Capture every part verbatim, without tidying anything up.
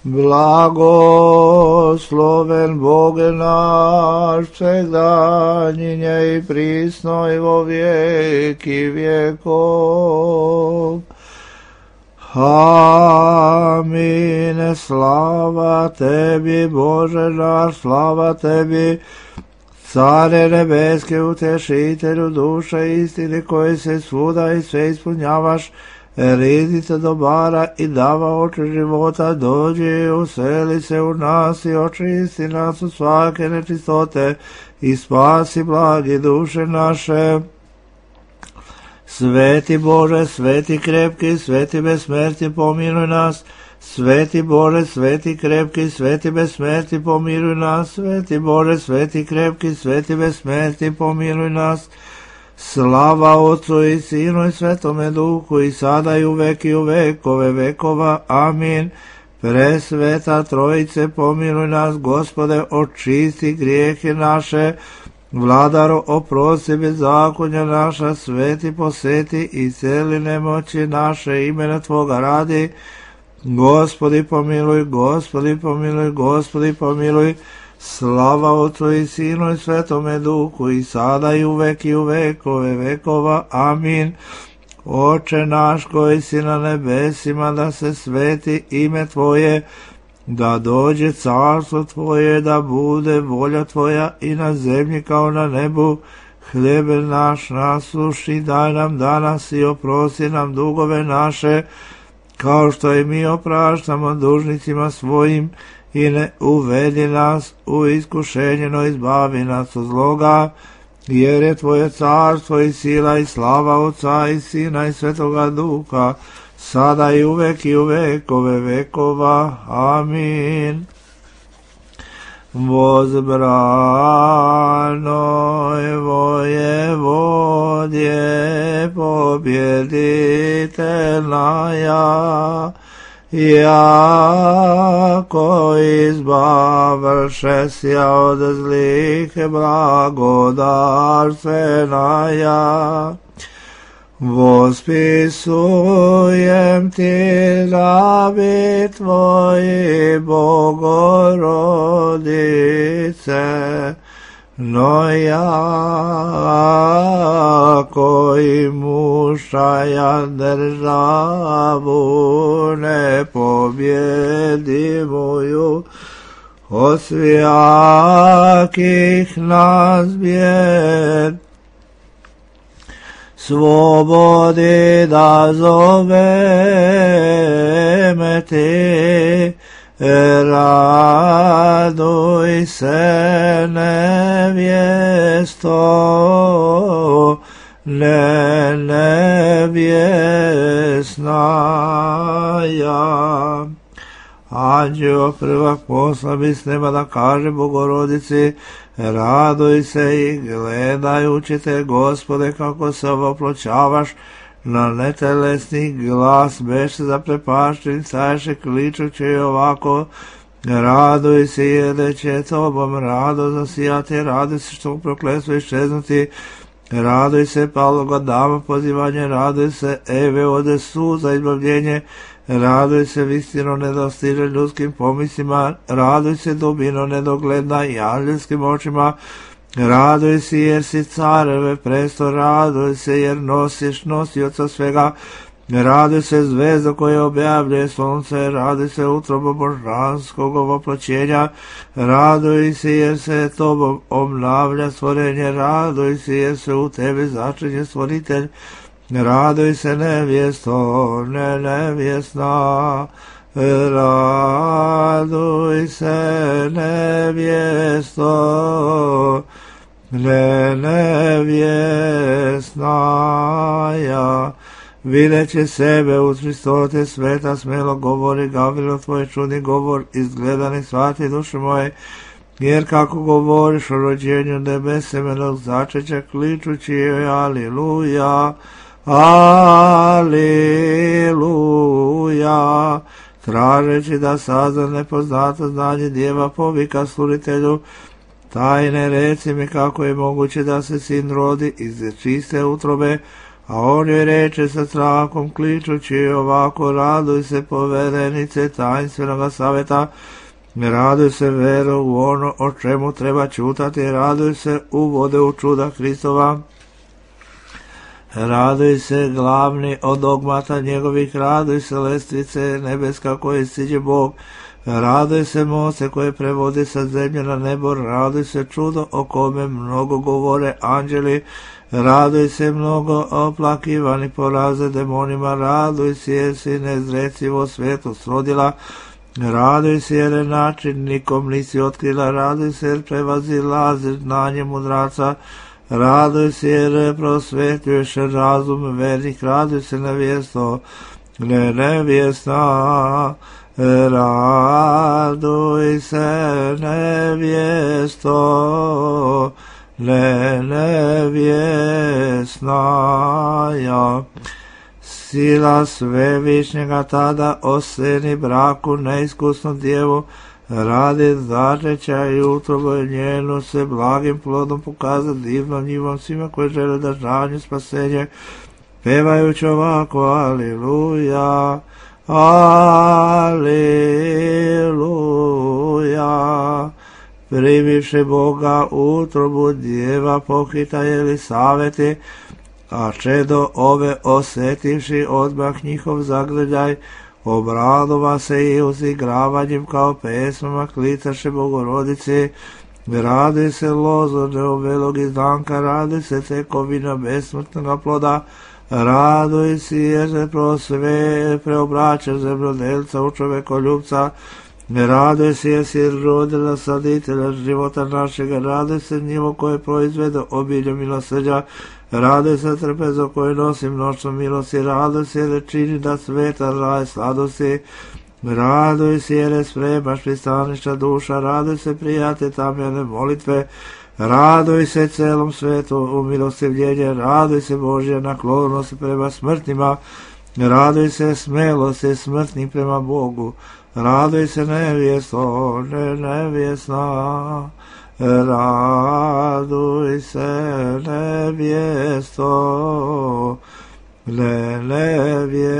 Blagosloven Bog naš, vsegdanjinje i prisno i vo vijeki vjekov. Amin. Slava tebi, Bože naš, slava tebi, Care nebeske, utešitelju duše istine, koji se svuda i sve ispunjavaš, riznice dobara i dava oči života, dođi i useli se u nas i očisti nas od svake nečistote i spasi blagi duše naše. Sveti Bože, sveti krepki, sveti besmrti, pomiluj nas. Sveti Bože, sveti krepki, sveti besmrti, pomiluj nas. Sveti Bože, sveti krepki, sveti besmrti, pomiluj nas. Slava Otcu i Sinu i Svetome Duhu, i sada i uvek i u vekove vekova. Amin. Presveta Trojice, pomiluj nas. Gospode, očisti grijehe naše. Vladaro, oprosti bezakonja naša. Sveti, poseti i celi nemoći naše, imena Tvoga radi. Gospodi pomiluj, Gospodi pomiluj, Gospodi pomiluj. Slava Otcu i Sinu i Svetome Duhu, i sada i uvek i u vekove vekova. Amin. Oče naš koji si na nebesima, da se sveti ime Tvoje, da dođe carstvo Tvoje, da bude volja Tvoja i na zemlji kao na nebu. Hljeb naš naslušni daj nam danas i oprosti nam dugove naše, kao što i mi opraštamo dužnicima svojim, i ne uvedi nas u iskušenje, no izbavi nas od zloga, jer je Tvoje carstvo i sila i slava Otca i Sina i Svetoga Duha, sada i uvek i u vekove vekova. Amin. Возбранoj vojevodje, pobjeditelnaja, jako izbavšesja od zlih, blagodarstvenaja. Vospisujem ti labi Tvoji, Bogorodice, no ja koji mušaja državu ne pobjedimuju, od svijakih nas bijed, svobodi da zoveme ti, raduj se nevjesto, ne nevjesnaja. Anđeo prvak posla bi s neba da kaže Bogorodici, raduj se i gledajući te, Gospode, kako se oploćavaš na netelesni glas, beše zaprepašten, staješe kličući ovako, raduj se jer da će Tobom rado zasijati, raduj se što prokletstvo iščeznuti, raduj se paloga dama pozivanje, raduj se Eve ode suza izbavljenje, raduj se vistino nedostiže ljudskim pomislima, raduj se dubino nedogledna i anđelskim očima, raduj se jer si careve presto, raduj se jer nosiš nosioca svega, raduj se zvezda koja objavljuje sunce, raduj se utrobo božanskog ovoploćenja, raduj se jer se Tobom obnavlja stvorenje, raduj se jer se u Tebi začinje stvoritelj, raduj se nevjesto, ne nevjesna, raduj se nevjesto, ne nevjesnaja. Videći sebe u Hristote sveta, smelo govori Gavrilo, tvoj čudni govor, izgledani svati duše moje, jer kako govoriš o rođenju nebesemenog začeća, kličući joj aliluja, aliluja, tražeći da sazna nepoznato znanje djeva, povika stvoritelju, tajne reci mi kako je moguće da se sin rodi iz čiste utrobe, A on joj reče sa strahom kličući ovako: raduj se, povedenice tajinstvenoga saveta, raduj se, vero, u ono o čemu treba ćutati, raduj se, uvode u čuda Hristova, raduj se, glavni od dogmata njegovih, raduj se, lestvice nebeska koje siđe Bog, raduj se, moste koje prevodi sa zemlje na nebo, raduj se, čudo o kome mnogo govore anđeli, raduj se, mnogo oplakivani poraze demonima, raduj se jer si nezrecivo svijetu srodila, raduj se jer način nikom nisi otkrila, raduj se jer prevazilazi znanje mudraca, raduj se jer prosvetljuješ razum vernih, raduj se nevjesto, ne nevjesna, raduj se nevjesto, ne nevjesnaja. Sila svevišnjega tada oseni braku neiskusnu djevu, radi začeća i utrobu njenu se blagim plodom pokaza divnom njivom svima koji žele da žanju spasenje, pevajući ovako: aliluja, aliluja. Primivši Boga utrobu djeva pohita Jelisaveti, a čedo ove osjetivši odmah njihov zagrljaj, obradova se i uzigravanjem kao pesmama klicaše Bogorodici. Radi se lozo neovelog izdanka, radi se tekovina besmrtnog ploda, raduj si jer se prosve preobraća zemljodelca u čovekoljubca, raduj se jer si rodila saditelja života našega, raduj se njivo koje proizvede obilje milosrđa, raduj se trpezo koje nosi mnoštvo milosti, raduj se jer čini da sveta raj sladosti, raduj se jer spremaš pristaništa duša, raduj se prijate tamjene molitve, raduj se celom svetu u milostivljenje, raduj se Božja naklonost prema smrtnima, raduj se smelosti smrtnih prema Bogu, raduj se nevjesto, ne nevjesna, raduj se nevjesto, ne nevjesnaja.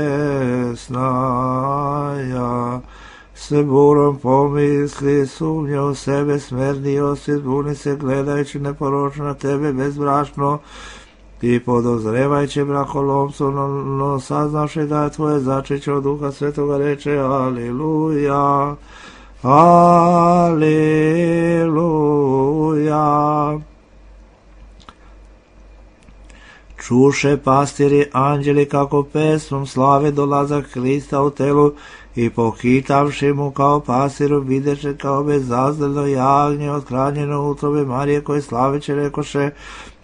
Se burom pomisli, sumnja u sebe, smernio si, zbuni se gledajući neporočno na tebe bezbrašno i podozrevajući brakolomstvo, no, no saznavši da je tvoje začeće od Duha Svetoga, reče: aliluja, aliluja. Čuše pastiri anđeli kako pesmom slave dolazak Hrista u telu i pohitavši mu kao pasiru videše kao bezazdano jagnje othranjeno utrobe Marije koje slaveće rekoše: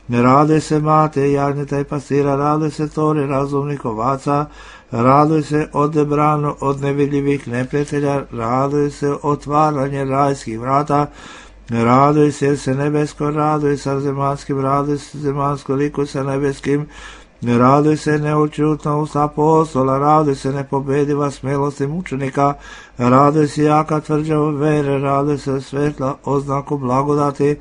raduj se mate jagnjeta i pastira, raduj se tori razumnih ovaca, raduj se odebrano od nevidljivih neprijatelja, raduj se otvaranje rajskih vrata, raduj se jer se nebesko, raduj sa zemanskim, raduj se zemansko liku sa nebeskim, raduj se neučutno uz apostola, raduj se nepobediva smelosti mučenika, raduj se jaka tvrđava vere, raduj se svetla oznaku blagodati,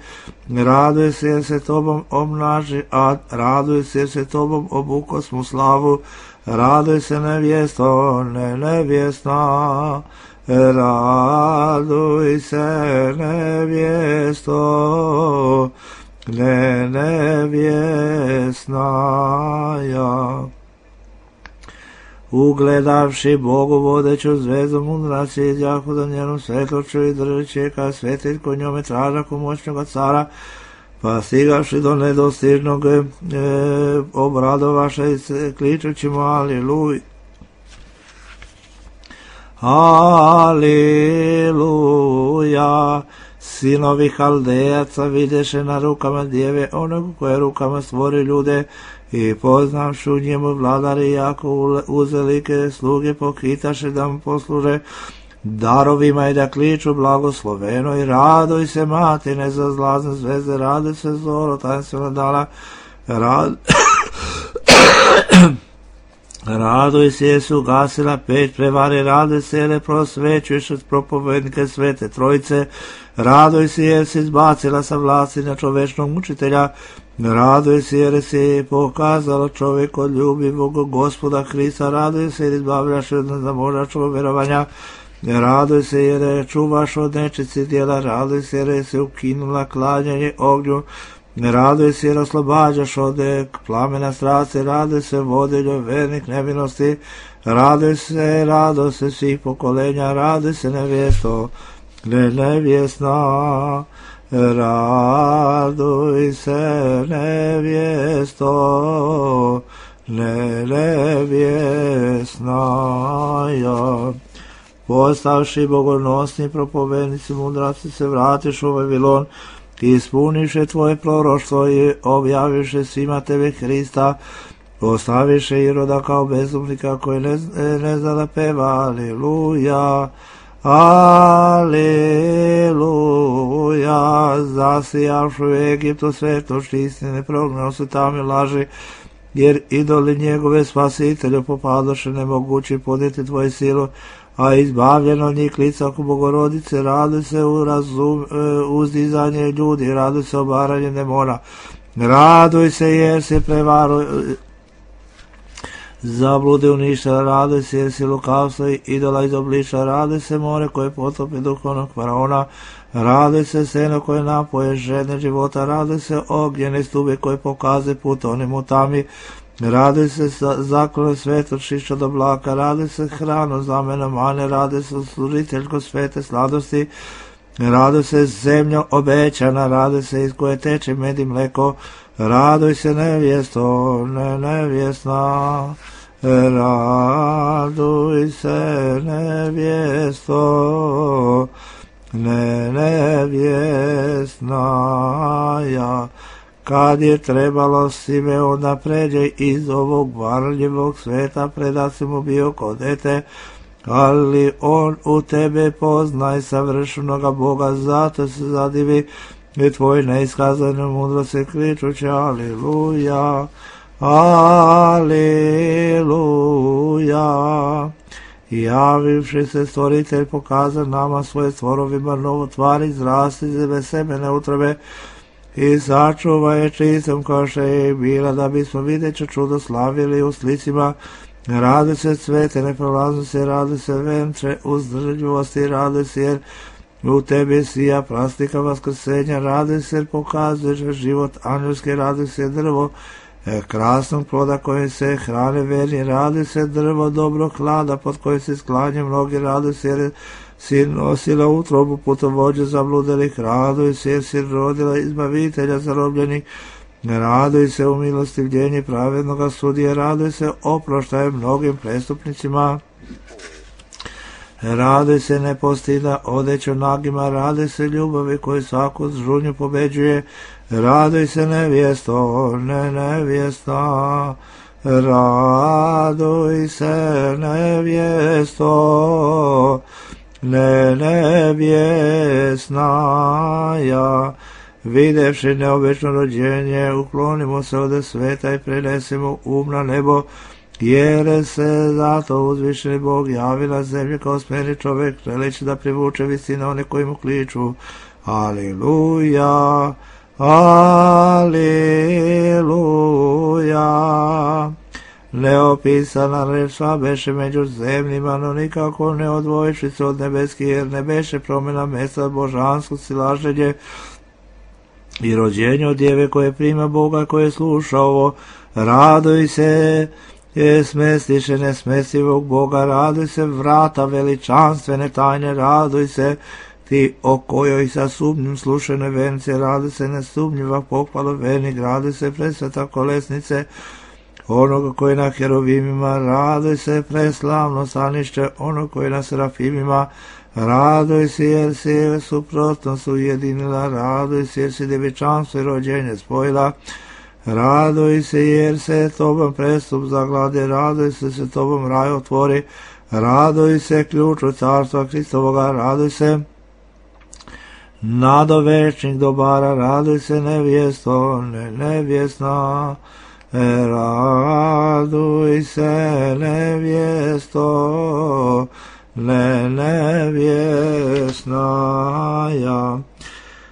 raduj se jer se tobom obnaži ad, raduj se jer se tobom obukosmu slavu, raduj se nevjesto, ne nevjesna, raduj se nevjesto, ne nevjesnaja. Ugledavši Bogu vodeću zvezdu mudraci izjahu za njenom svetlošću i držeći ka svetilj ko njome tražaku moćnoga cara, pa stigavši do nedostižnog e, obradovaša i kličući mu: aliluj, aliluja. Sinovi Haldejaca videše na rukama djeve onog koje rukama stvori ljude i poznavši u njemu vladari jako uzelike sluge pohitaše da mu posluže darovima i da kliču blagosloveno i raduj se mati nezazlazne zvezde, raduj se zoro tajinstvena dana, rad... Raduj se jer si ugasila peć prevare, raduj se jer prosvećuješ od propovednike Svete Trojice, raduj se jer si izbacila sa vlasti na čovečnog mučitelja, raduj se jer si pokazala čovjek od ljubivog Gospoda Hrista, raduj se jer izbavljaš od nezamožačkog verovanja, raduj se jer čuvaš od nečici djela, raduj se jer si ukinula klanjanje ognju, raduj se jer oslobađaš od plamena strasti, raduj se vodiljo vernih nevinosti, raduj se, raduj se svih pokolenja, raduj se nevjesto, ne nevjesna, raduj se nevjesto, ne nevjesna ja. Postavši bogonosni propovednici mudraci se vratiš u Vavilon, ti ispuniše tvoje proroštvo i objaviše svima tebe Hrista, postaviše Iroda kao bezumnika koji ne, ne zna da peva, aleluja, aleluja, zasijavši u Egiptu svetosti istine, prognao se tamo laži, jer idoli njegove spasitelju popadoše nemogući podnijeti tvoju silu, a izbavljeno njih lica oko Bogorodice, raduj se u razum, uzdizanje ljudi, raduj se obaranje demona, raduj se jer se prevaru zablude uništa, raduj se jer si lukavstvo i idola izobliča, raduj se more koje potopi duhovnog faraona, raduj se seno koje napoje žedne života, raduj se ognjene stube koje pokaze put onim u tami, raduj se zaklone svetočišća do blaka, raduj se hranu zamena mane, raduj se služiteljko svete sladosti, raduj se zemljo obećana, raduj se iz koje teče med i mleko, raduj se nevjesto, ne nevjesna, raduj se nevjesto, ne nevjesna ja. Kad je trebalo Simeon da pređe iz ovog varljivog sveta, predat se mu bio ko dete, ali on u tebe poznaj savršenoga Boga, zato se zadivi i tvoj neiskazane mudrosti kričući aleluja, aleluja. Javivši se stvoritelj pokaza nama svoje stvorovima novotvari, izrasti zebe semene utrobe, i sačuva je čistom kao što je bila, da bismo videće čudo slavili u slicima, radi se cvete neprolaznosti, radi se ventre uzdržljivosti, radi se jer u tebi sija plastika vaskrsenja, radi se jer pokazuješ život angelski, radi se drvo krasnog ploda kojim se hrane verni, radi se drvo dobro hlada pod kojim se sklanje mnogi, radi se jer si nosila utrobu putovođe zabludelih, raduj se jer si rodila izbavitelja zarobljenih, raduj se u milostivljenju pravednoga sudije, raduj se oproštaje mnogim prestupnicima, raduj se nepostida odeću nagima, raduj se ljubavi koju svaku žunju pobeđuje, raduj se nevjesto, ne nevjesta, raduj se nevjesto, ne nevjesna ja. Videvši neobično rođenje, uklonimo se od sveta i prenesemo um na nebo, jer se zato uzvišeni Bog javi na zemlji kao smjeni čovjek, želeći da privuče visine one koji mu kliču. Aleluja, aleluja. Neopisana reč sva beše među zemljima, no nikako ne odvojiši se od nebeskih, jer ne beše promjena mjesta božansko silaženje i rođenje od djeve koje prima Boga, koje sluša ovo. Raduj se, je smestiše nesmestivog Boga, raduj se vrata veličanstvene tajne, raduj se ti o kojoj sa sumnjim slušene vence, raduj se nesumnjiva pohvala vernih, raduj se presveta kolesnice onoga koji na herovimima, raduj se preslavno stanište onog koji na serafimima, raduj se jer si suprotnost ujedinila, raduj se jer si djevičanstvo i rođenje spojila, raduj se jer se tobom prestup zaglade, raduj se se tobom raj otvori, raduj se ključu carstva Hristovoga, raduj se nadovečnih dobara, raduj se nevjesto, ne nevjesna, raduj se nevjesto, ne nevjesnaja.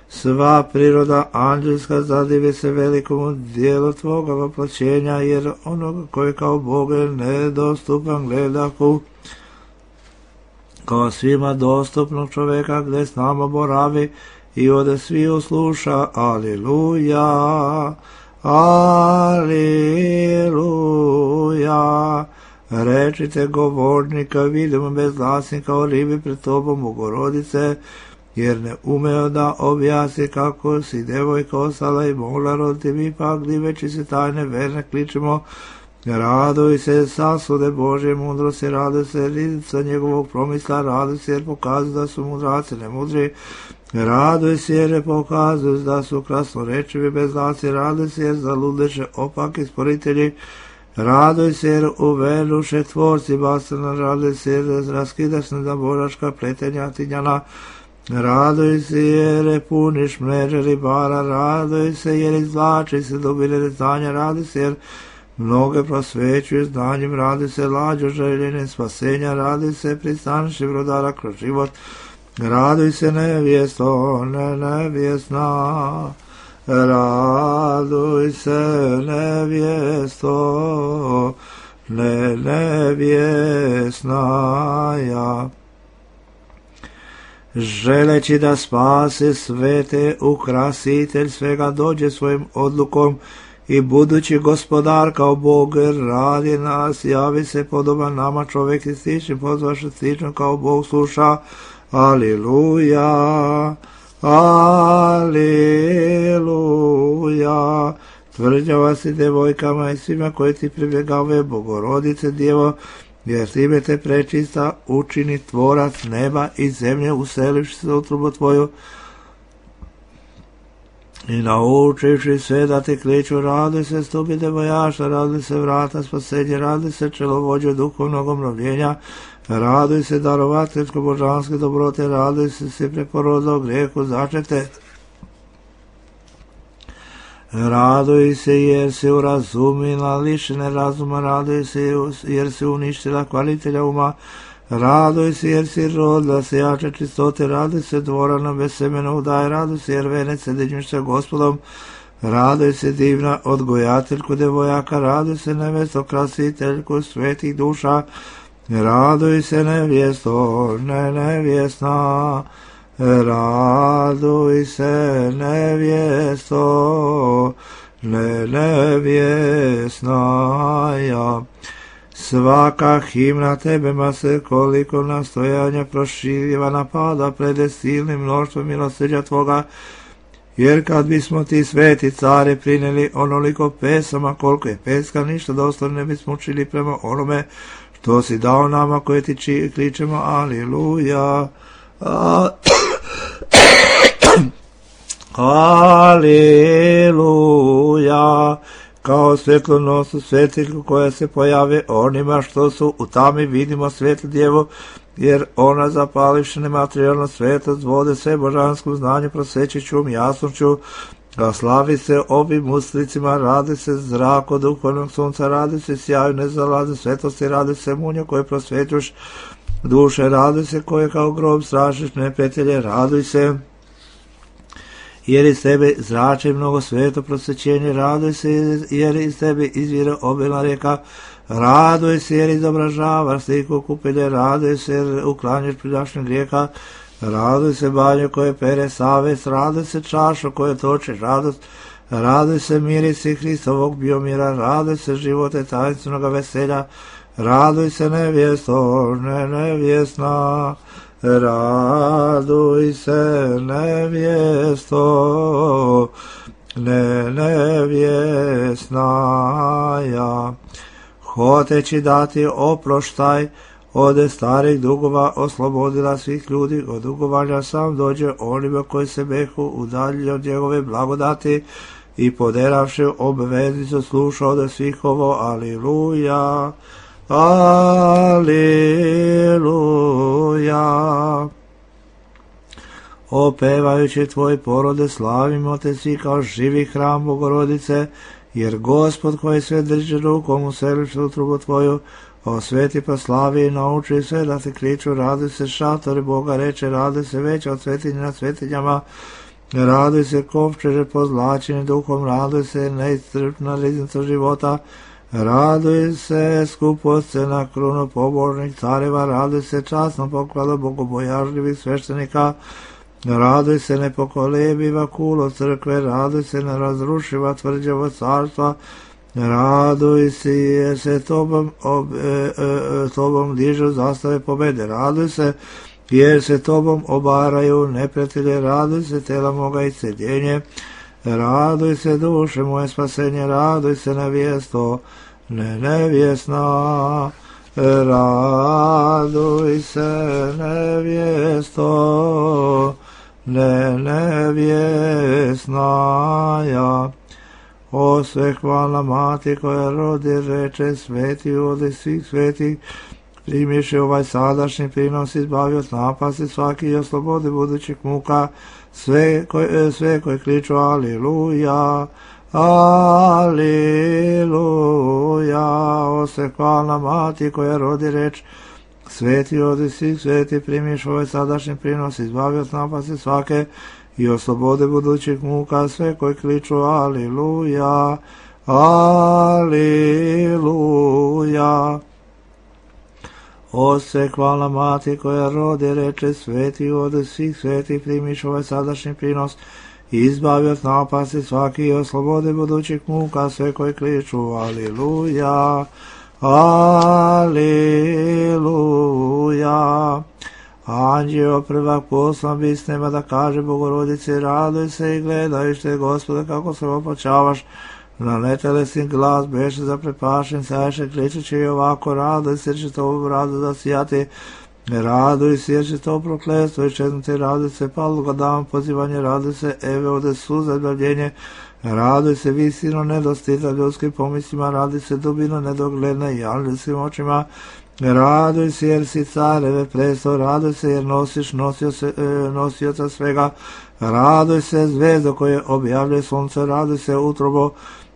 Sva priroda anđelska zadive se velikomu dijelu tvoga voplaćenja, jer onoga koji kao Bog je nedostupan gledaku, kao svima dostupnog čoveka gdje s nama boravi i ode svi usluša. Aliluja, aliluja. Rečite govornika, vidimo bezglasnika o ribi pred tobom, Bogorodice, jer ne umeo da objasni kako si devojka ostala i mogla roditi, mi pak diveći se tajne verne kličemo. Raduj se, sasude Božje mudrosti, raduj se, rizica njegovog promisla, raduj se jer pokazuju da su mudraci nemudri, raduj se jer pokazuju da su krasnorečivi bezglasni, raduj se jer zaludeše opaki sporitelji, raduj se jer uveduše tvorci bastrana, raduj se jer raskidaš nezaboraška pletenja tinjana, raduj se jer puniš mreže ribara, raduj se jer izvlači se dobile znanja, raduj se jer mnoge prosvećuje znanjem, radi se lađo željenje spasenja, radi se pristanši brodara kroz život, raduj se nevjesto, ne nevjesna, raduj se nevjesto, ne nevjesna ja. Želeći da spase svete, ukrasitelj svega dođe svojim odlukom, i budući gospodar kao Bog radi nas, javi se podoban nama čovjek i stični, pozvaše stično kao Bog sluša. Aliluja, aliluja. Tvrđava si devojkama i svima koji ti pribjegave, Bogorodice Djevo, jer time te prečista učini tvorac neba i zemlje, uselivši se u utrubu tvoju, i naučivši sve da te kliču, raduj se stupi devojaša, raduj se vrata spasenja, raduj se čelovođe duhovnog obnovljenja, raduj se darovateljsko božanske dobrote, raduj se se preporodilo grijehu začete, raduj se jer se urazumila lišene razuma, raduj se jer se uništila kvalitelja uma, raduj se jer si rodila se jače čistote, raduj se dvorana bez semena udaje, raduj se jer venec sedinjuš sa Gospodom, raduj se divna odgojateljku devojaka, raduj se nevesto krasiteljku svetih duša, raduj se nevjesto, ne nevjesna, raduj se nevjesto, ne nevjesna ja. Svaka himna tebema se koliko nastojanja proširjiva napada pred silnim mnoštvom milosrđa tvoga, jer kad bismo ti sveti care prineli onoliko pesama koliko je peska, ništa dosta ne bismo učili prema onome što si dao nama koje ti či, kličemo aliluja, aliluja. Kao svjetlonosu svetiljku koja se pojave onima što su u tami, vidimo svetlu djevu, jer ona zapalivši nematerijalno svetost vode sve božanskom znanju prosvećiću jasnoću, a slavi se ovim uslicima, radi se zrak od duhovnog sunca, radi se sjaju nezalaze svetosti, radi se munja koje prosvećuš duše, radi se koje kao grob strašiš neprijatelje, raduj se jer iz tebe zrače mnogo sveto prosvećenje, raduj se jer iz tebe izvire obilna rijeka, raduj se jer izobražavaš sliku kupilje, raduj se jer uklanjaš pridašnje grijeha, raduj se banju koje pere savest, raduj se čašo koje toče radost, raduj se mirisi Hristovog biomira, raduj se živote tajnstvenog veselja, raduj se nevjesto, ne nevjesna, raduj se nevjesto, ne nevjesna ja. Hoteći dati oproštaj od starih dugova, oslobodila svih ljudi od dugovanja, sam dođe onima koji se behu udaljili od njegove blagodati i poderavši obveznicu sluša od svih ovo. Aliluja, aliluja. Opevajući tvoj porode, slavimo te svi kao živi hram Bogorodice, jer Gospod koji sve drži rukom useliš utrubu tvoju, osveti pa slavi i nauči sve da te kriču, raduj se šatori Boga, reče, raduj se veća od svetinja nad svetinjama, raduj se kovčeže pozlačeni duhom, raduj se neiscrpna riznica života, raduj se skupost na krunu pobožnih careva, raduj se časno pokladu bogobojažljivih sveštenika, raduj se nepokolebiva kulo crkve, raduj se nerazrušiva tvrđava carstva, raduj se jer se tobom, ob, e, e, tobom dižu zastave pobede, raduj se jer se tobom obaraju neprijatelje, raduj se tela moga i cedjenje, raduj se duše moje spasenje, raduj se nevjesto, ne nevjesna, raduj se nevjesto, ne nevjesna ja. O sve hvala mati koja rodi, reče, sveti odi svih svetih, primiše ovaj sadašnji prinos, izbavi od napasti svaki i oslobodi budućih muka, sve koji, sve koji kliču aliluja, aliluja. O sve hvala mati koja rodi, reč, sveti odi svih sveti, primiš ovaj sadašnji prinos, izbavi od napasti svake i oslobode budućih muka, sve koji kliču aliluja, aliluja. O sve hvala mati koja rodi, reče, sveti od svih sveti, primiš ovaj sadašnji prinos, izbavi od napasti svaki i oslobode budućih muka, sve koji kliču aliluja, aliluja. Anđeo prvak poslan bisnema da kaže Bogorodici, raduj se i gledaj što je Gospode kako se opočavaš, na netelesni glas beše zaprepašen, saješe kričeći i ovako, raduj se jer će to rado da sijati, raduj se jer će to prokletstvo iščeznuti, raduj se paluga dam pozivanje, raduj se eve ode suza bavljenje, raduj se visino nedostita ljudskim pomislima, raduj se dubino nedogledna i anđelskim očima, raduj se jer si careve presto, raduj se jer nosiš nosio se, e, nosioca svega, raduj se zvezdo koje objavlja sunce, raduj se utrobo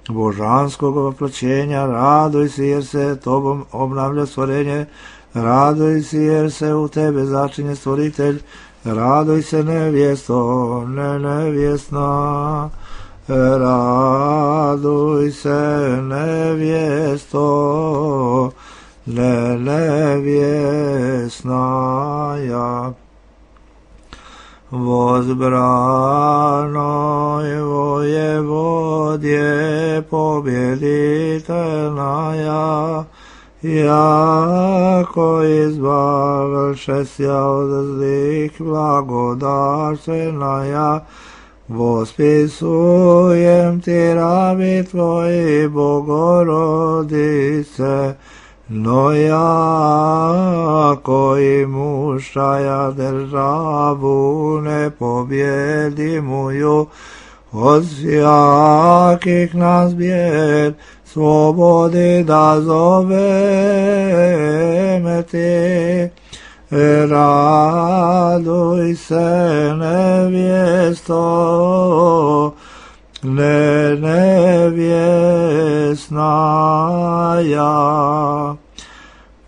božanskog oplaćenja, raduj se jer se tobom obnavlja stvorenje, raduj se jer se u tebe začinje stvoritelj, raduj se nevjesto, ne nevjesna, raduj se nevjesto, ne nevjesna ja. Возбранoj воеводje победителна ja, jako izbavlše sja od zlih blagodarstvena ja, vospisujem ti rabi tvoji Bogorodice, no ja koji mušaja državu ne pobjedimuju, od svjakih nas bijed slobodi da zoveme ti. Raduj se nevjesto, ne nevjesna ja.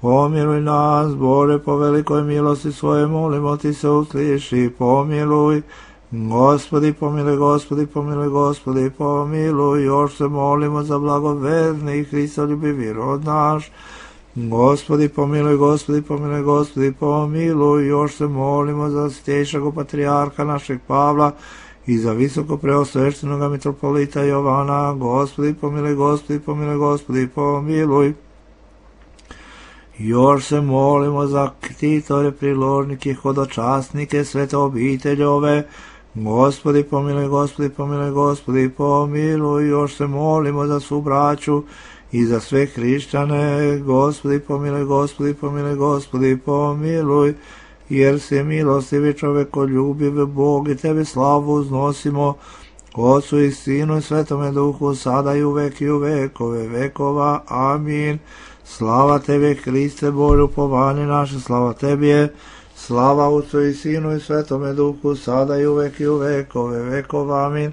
Pomiluj nas, Bore, po velikoj milosti svoje, molimo ti se, usliši, pomiluj. Gospodi, pomiluj, Gospodi, pomiluj, Gospodi, pomiluj. Još se molimo za blagoverni i Hristoljubivi rod naš. Gospodi, pomiluj, Gospodi, pomiluj, Gospodi, pomiluj. Još se molimo za svjetejšeg patrijarha našeg Pavla i za visoko preosveštenoga mitropolita Jovana. Gospodi, pomiluj, Gospodi, pomiluj, Gospodi, pomiluj. Još se molimo za ktitore, priložnike, hodočasnike, svete obiteljove. Gospodi, pomiluj, Gospodi, pomiluj, Gospodi, pomiluj. Još se molimo za svu braću i za sve hrišćane. Gospodi, pomiluj, Gospodi, pomiluj, Gospodi, pomiluj. Jer si milostivi čovekoljubiv Bog i tebi slavu uznosimo, Otcu i Sinu i Svetome Duhu, sada i uvek i u vekove vekova. Amin. Slava tebi, Hriste, Bože, upovanje naše, slava tebi je. Slava Otcu i Sinu i Svetome Duhu, sada i uvek i u vekove vekova. Amin.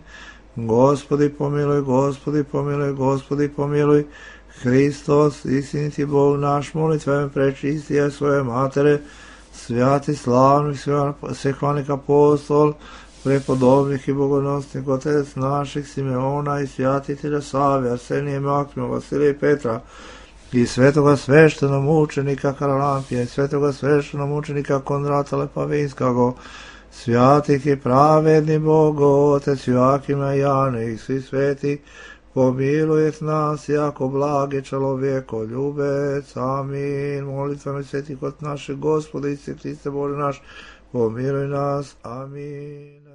Gospodi pomiluj, Gospodi pomiluj, Gospodi pomiluj. Hristos, istiniti Bog naš, molitveme prečistije svoje matere, svjati slavnih, svehvanih apostol, prepodobnih i bogonosnih otec naših Simeona i svjatitelja Save, Arsenije, Makima, Vasilija i Petra, i svetoga sveštenog mučenika Karalampija, i svetoga sveštenog mučenika Kondrata Lepavinskago, svjatih i pravedni Bogo, Otec Joakima i Jane i svi sveti, pomilujet nas jako blage čelovjeko ljubec. Amin. Molitvama svetih od našeg Gospoda Isuse Hriste Bože naš, pomiluj nas. Amin.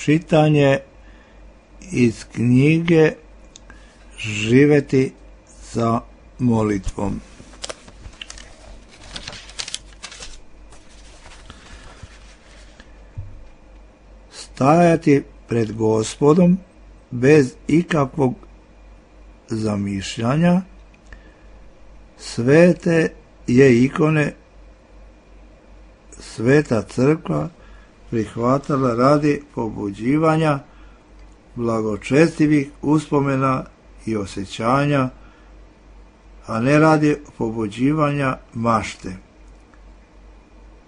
Čitanje iz knjige Živeti sa molitvom. Stajati pred Gospodom bez ikakvog zamišljanja, svete je ikone Sveta crkva prihvatala radi pobuđivanja blagočestivih uspomena i osjećanja, a ne radi pobuđivanja mašte.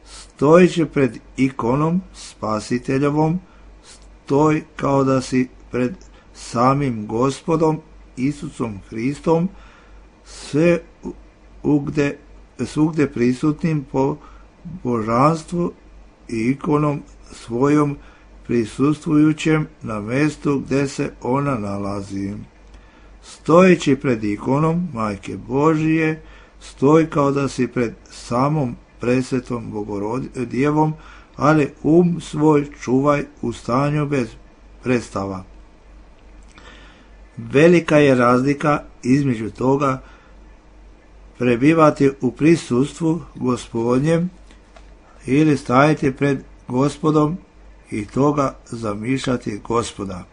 Stojići pred ikonom spasiteljovom, stoj kao da si pred samim Gospodom Isusom Hristom, sve ugde, svugde prisutnim po božanstvu i ikonom svojom prisustvujućem na mestu gde se ona nalazi. Stojeći pred ikonom Majke Božije, stoj kao da si pred samom presvetom Bogorodjevom, ali um svoj čuvaj u stanju bez predstava. Velika je razlika između toga prebivati u prisustvu Gospodnjem ili stajati pred Gospodom i toga zamišljati Gospoda.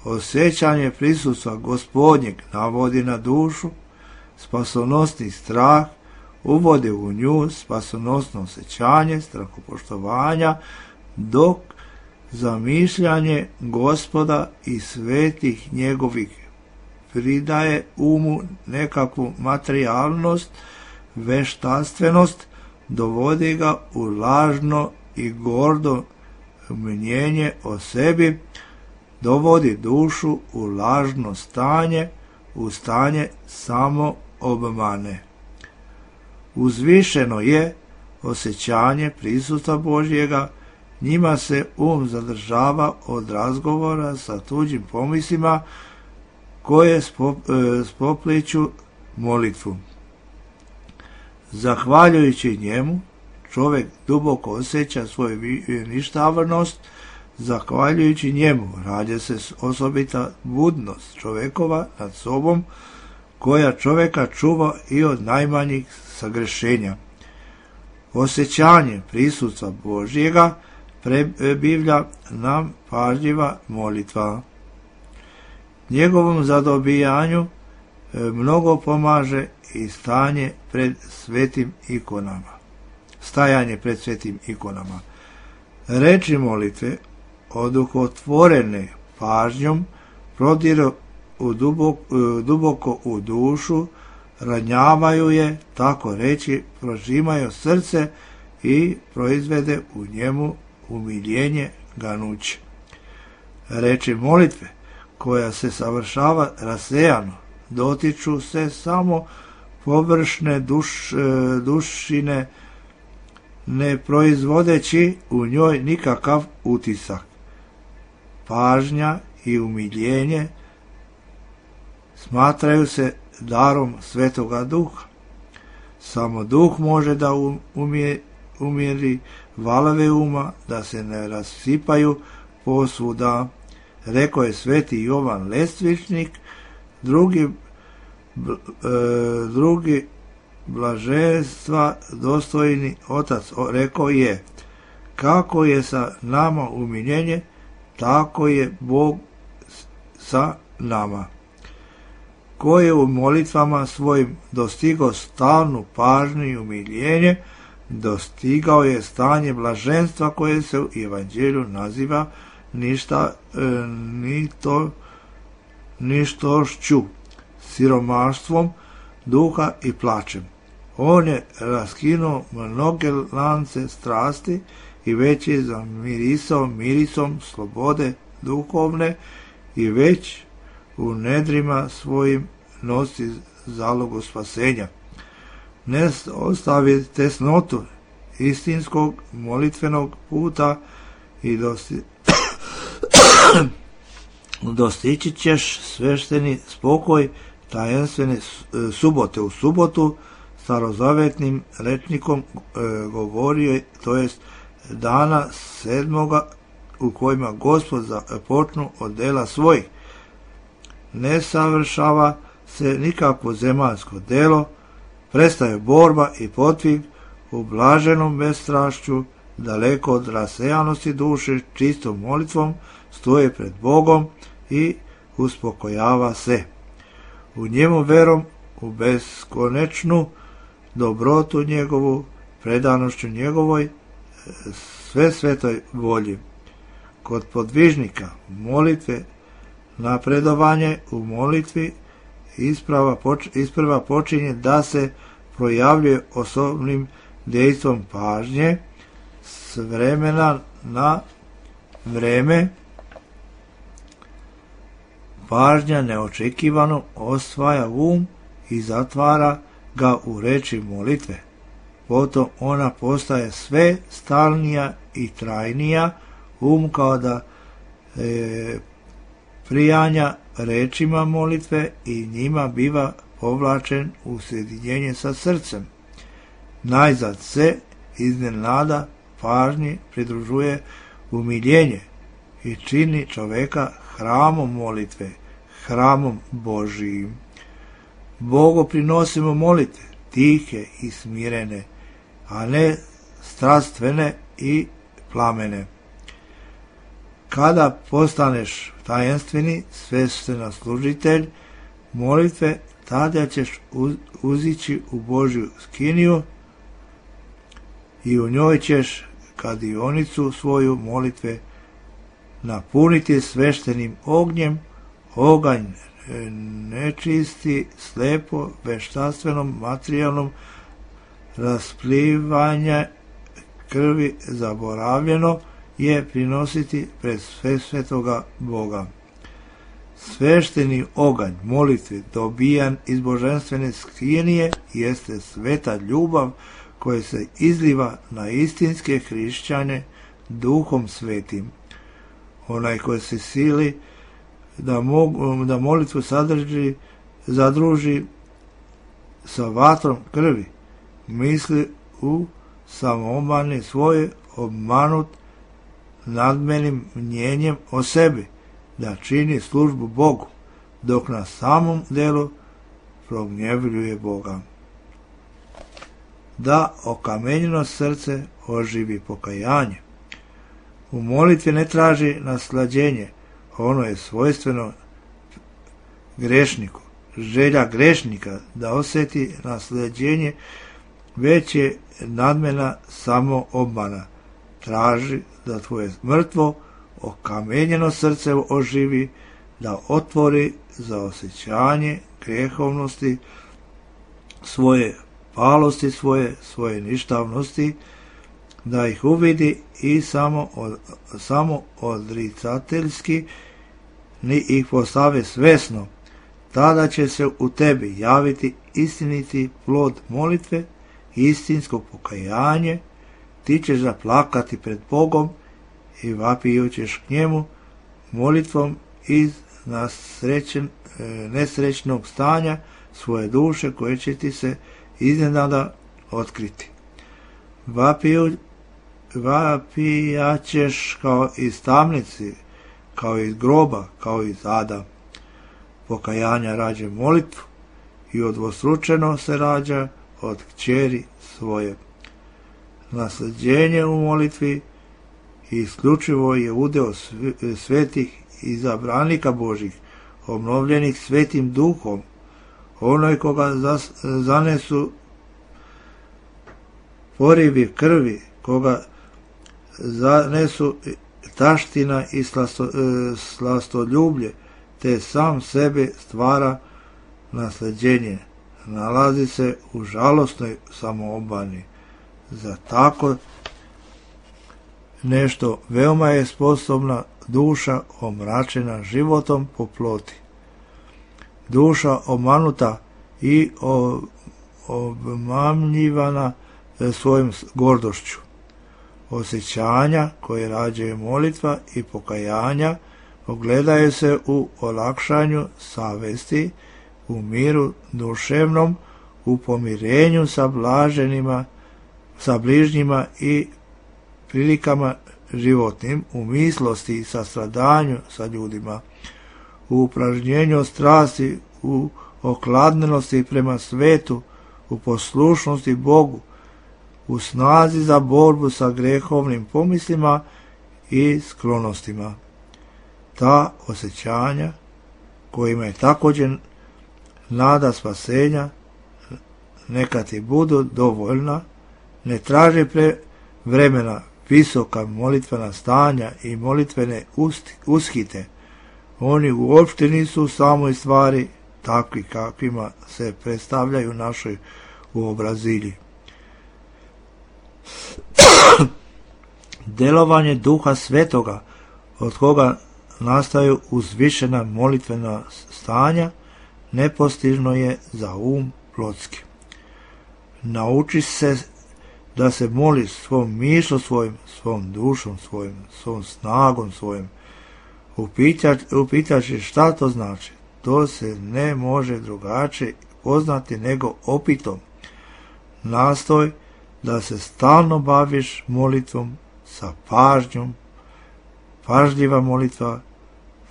Osjećanje prisustva Gospodnjeg navodi na dušu spasonosni strah, uvodi u nju spasonosno osjećanje strahopoštovanja, dok zamišljanje Gospoda i svetih njegovih pridaje umu nekakvu materijalnost, veštastvenost, dovodi ga u lažno i gordo mnjenje o sebi, dovodi dušu u lažno stanje, u stanje samo obmane. Uzvišeno je osjećanje prisustva Božjega, njima se um zadržava od razgovora sa tuđim pomislima koje spopliću molitvu. Zahvaljujući njemu, čovjek duboko osjeća svoju ništavnost, zahvaljujući njemu rađa se osobita budnost čovjekova nad sobom, koja čovjeka čuva i od najmanjih sagrešenja. Osjećanje prisutstva Božjega prebivlja nam pažljiva molitva. Njegovom zadobijanju mnogo pomaže i stanje pred svetim ikonama. Stajanje pred svetim ikonama. Reči molitve, oduhotvorene pažnjom, prodiru u duboko, duboko u dušu, ranjavaju je, tako reći, prožimaju srce i proizvede u njemu umiljenje ganuće. Reči molitve, koja se savršava rasejano, dotiču se samo površne duš, dušine, ne proizvodeći u njoj nikakav utisak. Pažnja i umiljenje smatraju se darom Svetoga Duha. Samo Duh može da umije, umiri valove uma, da se ne rasipaju posvuda. Rekao je sveti Jovan Lestvičnik, drugi, bl, e, drugi blaženstva dostojni otac rekao je, kako je sa nama umiljenje, tako je Bog sa nama. Ko je u molitvama svojim dostigao stalnu pažnju i umiljenje, dostigao je stanje blaženstva koje se u evanđelju naziva ništa, e, ni to, ništošću, siromaštvom duha i plačem. On je raskinuo mnoge lance strasti i već je zamirisao mirisom slobode duhovne i već u nedrima svojim nosi zalogu spasenja. Ne ostavi tesnotu istinskog molitvenog puta i dosti... dostići ćeš svešteni spokoj tajenstvene subote u subotu, starozavetnim rečnikom e, govorio, to jest dana sedmoga u kojima Gospod počnu od dela svojih. Ne savršava se nikakvo zemaljsko delo, prestaje borba i potvig u blaženom bezstrašću, daleko od rasejanosti duše, čistom molitvom stoje pred Bogom i uspokojava se. U njemu verom u beskonečnu dobrotu njegovu, predanošću njegovoj, sve svetoj volji. Kod podvižnika molitve napredovanje u molitvi isprava, poč, isprva počinje da se projavljuje osobnim dejstvom pažnje s vremena na vreme. Pažnja neočekivano osvaja um i zatvara ga u reči molitve. Potom ona postaje sve stalnija i trajnija, um kao da e, prijanja rečima molitve i njima biva povlačen u sjedinjenje sa srcem. Najzad se iznenada pažnji pridružuje umiljenje i čini čoveka hramom molitve, hramom Božijim. Bogu prinosimo molitve, tihe i smirene, a ne strastvene i plamene. Kada postaneš tajenstveni sveštenoslужitelj molitve, tada ćeš uzići u Božju skiniju i u njoj ćeš kadionicu svoju molitve napuniti sveštenim ognjem, oganj nečisti, slepo, veštastvenom, materijalnom, rasplivanje krvi zaboravljeno je prinositi pred sve svetoga Boga. Svešteni oganj molitve dobijan iz božanstvene skinije jeste sveta ljubav koja se izliva na istinske hrišćane duhom svetim. Onaj koji se sili da, mogu, da molitvu sadrži, zadruži sa vatrom krvi, misli u samoobmani svoje obmanut nadmenim mnjenjem o sebi, da čini službu Bogu, dok na samom delu prognjevljuje Boga. Da okamenjeno srce oživi pokajanje. U molitvi ne traži naslađenje, ono je svojstveno grešniku. Želja grešnika da osjeti naslađenje već je nadmena samo obmana. Traži da tvoje mrtvo, okamenjeno srce oživi, da otvori za osjećanje grehovnosti, svoje palosti, svoje, svoje ništavnosti, da ih uvidi i samo, od, samo odricateljski ni ih postave svesno. Tada će se u tebi javiti istiniti plod molitve, istinsko pokajanje, ti ćeš zaplakati pred Bogom i vapiju ćeš k njemu molitvom iz nasrećen, nesrećnog stanja svoje duše koje će ti se iznenada otkriti. Vapiju, vapijaćeš kao iz tamnici, kao iz groba, kao iz ada. Pokajanja rađa molitvu i odvostručeno se rađa od kćeri svoje. Nasljeđenje u molitvi isključivo je udeo svetih izabranika Božih, obnovljenih svetim duhom, onoj koga zanesu porivi krvi, koga zanesu taština i slasto, slastoljublje, te sam sebe stvara nasljeđenje. Nalazi se u žalosnoj samoobmani. Za tako nešto veoma je sposobna duša omračena životom po ploti. Duša omanuta i obmamljivana svojom gordošću. Osjećanja koje rađaju molitva i pokajanja ogledaju se u olakšanju savesti, u miru duševnom, u pomirenju sa blaženima, sa bližnjima i prilikama životnim, u mislosti i sastradanju sa ljudima, u upražnjenju strasti, u okladnenosti prema svetu, u poslušnosti Bogu, u snazi za borbu sa grehovnim pomislima i sklonostima. Ta osjećanja, kojima je također nada spasenja, neka ti budu dovoljna, ne traže pre vremena visoka molitvena stanja i molitvene uskite. Oni uopšte nisu u samoj stvari takvi kakvima se predstavljaju našoj uobrazilji. Delovanje Duha Svetoga, od koga nastaju uzvišena molitvena stanja, nepostižno je za um plotski. Nauči se da se moliš svom mišlom svojim, svom dušom svojim, svom snagom svojim. Upitaš je šta to znači. To se ne može drugačije poznati nego opitom. Nastoj da se stalno baviš molitvom sa pažnjom. Pažljiva molitva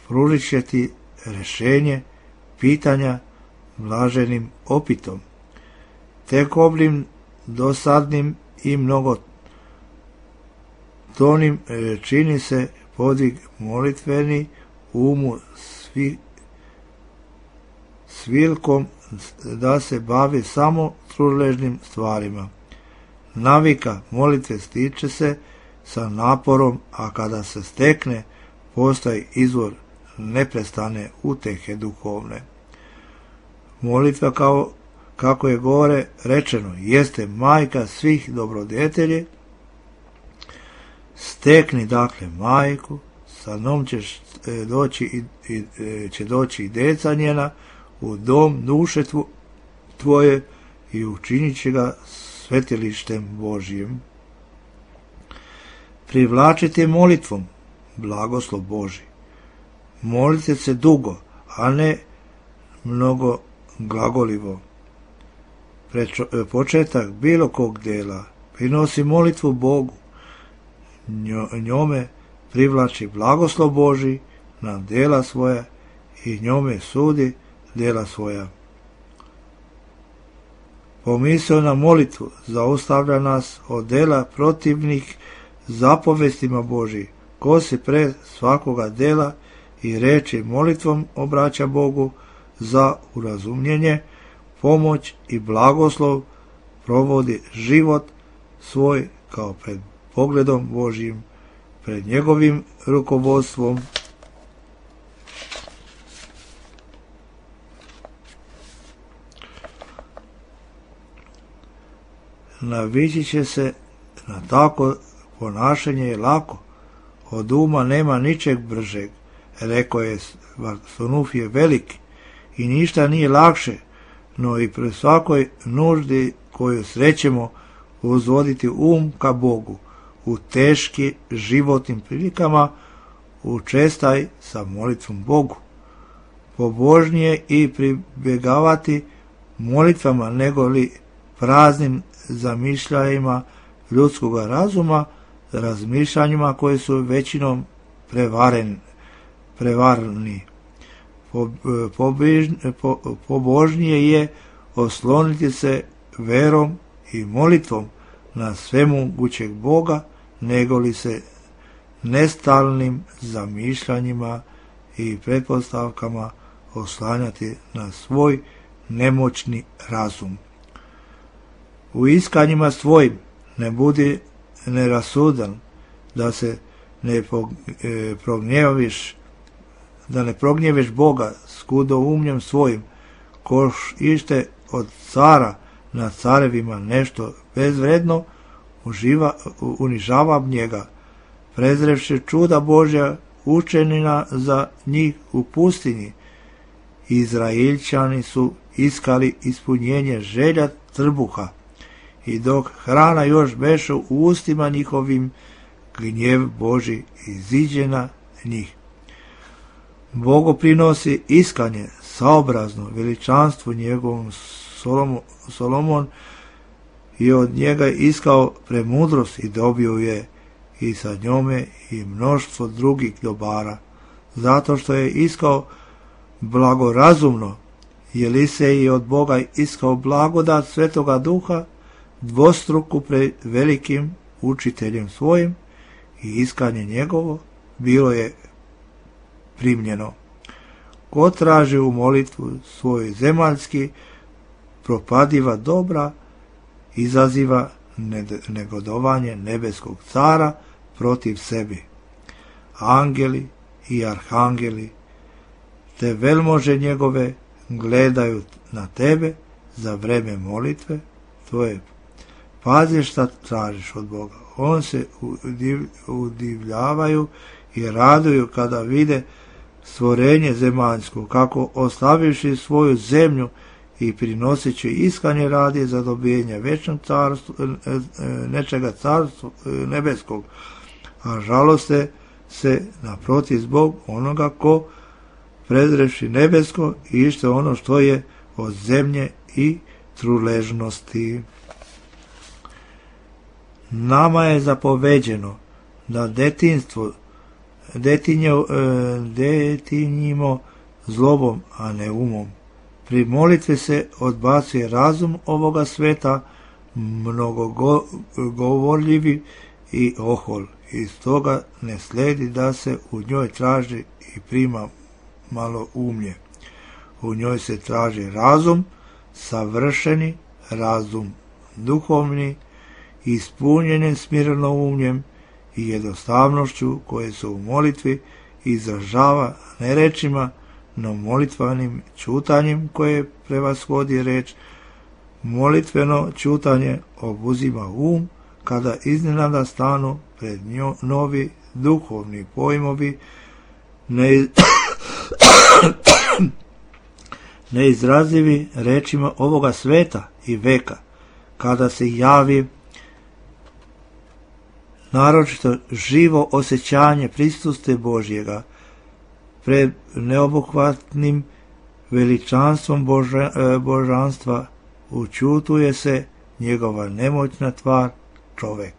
pružit će ti rješenje pitanja blaženim opitom. Tekobnim, dosadnim i mnogo tonim čini se podvig molitveni umu svi, svilkom da se bavi samo truležnim stvarima. Navika molitve stiče se sa naporom, a kada se stekne, postoji izvor neprestane utehe duhovne. Molitva, kao kako je gore rečeno, jeste majka svih dobrodetelji. Stekni dakle majku, sa njom ćeš doći i, i, će doći i deca njena u dom duše tvoje i učinit će ga svetilištem Božijim. Privlačite molitvom blagoslov Božji. Molite se dugo, a ne mnogo glagolivo. Prečo, početak bilo kog dela prinosi molitvu Bogu. Njome privlači blagoslov Božji na dela svoja i njome sudi dela svoja. Pomisao na molitvu zaustavlja nas od dela protivnih zapovestima Božji, ko se pre svakoga dela i reči molitvom obraća Bogu za urazumljenje, pomoć i blagoslov, provodi život svoj kao pred pogledom Božjim, pred njegovim rukovodstvom. Navići će se na tako ponašanje je lako, od uma nema ničeg bržeg, rekao je Varsunuf je veliki, i ništa nije lakše, no i pri svakoj nuždi koju srećemo uzvoditi um ka Bogu, u teški životnim prilikama učestaj sa molitvom Bogu. Pobožnije i pribjegavati molitvama nego li praznim zamišljajima ljudskog razuma, razmišljanjima koje su većinom prevaren, prevarni. Pobožnije je osloniti se verom i molitvom na svemogućeg Boga, nego li se nestalnim zamišljanjima i pretpostavkama oslanjati na svoj nemoćni razum. U iskanjima svojim ne budi nerasudan, da se ne prognjeviš, da ne prognjeviš Boga skudoumljem svojim, koš ište od cara na carevima nešto bezvredno, uživa, unižava njega, prezrevši čuda Božja učenina za njih u pustinji. Izraelčani su iskali ispunjenje želja trbuha, i dok hrana još beše u ustima njihovim, gnjev Božji iziđe na njih. Bogo prinosi iskanje saobrazno veličanstvu njegovom. Solomon, Solomon je od njega iskao premudrost i dobio je, i sa njome i mnoštvo drugih dobara, zato što je iskao blagorazumno, jer Elisej je od Boga iskao blagodat Svetoga Duha, dvostruku pred velikim učiteljem svojim, i iskanje njegovo bilo je primljeno. Ko traži u molitvu svoj zemaljski propadiva dobra, izaziva negodovanje nebeskog cara protiv sebi. Angeli i arhangeli te velmože njegove gledaju na tebe za vreme molitve tvoje. Pazi šta tražiš od Boga. On se udiv, udivljavaju i raduju kada vide stvorenje zemaljsko, kako ostavivši svoju zemlju i prinoseći iskanje radi za dobijenje večnog carstva, nečega carstva nebeskog, a žaloste se naprotiv zbog onoga ko prezreši nebesko i ište ono što je od zemlje i truležnosti. Nama je zapoveđeno da detinstvo detinjo, detinjimo zlobom, a ne umom. Pri molitvi se odbacuje razum ovoga sveta, mnogogovorljivi i ohol. Iz toga ne sledi da se u njoj traži i prima malo umlje. U njoj se traži razum, savršeni razum, duhovni, ispunjeni smirenoumljem i jednostavnošću koje se u molitvi izražava ne rečima, no molitvanim čutanjem koje prevashodi reč. Molitveno čutanje obuzima um kada iznenada stanu pred njo novi duhovni pojmovi ne... neizrazivi rečima ovoga sveta i veka, kada se javi naročito živo osjećanje prisutstva Božjega pred neobuhvatnim veličanstvom Boža, božanstva, učutuje se njegova nemoćna tvar čovek.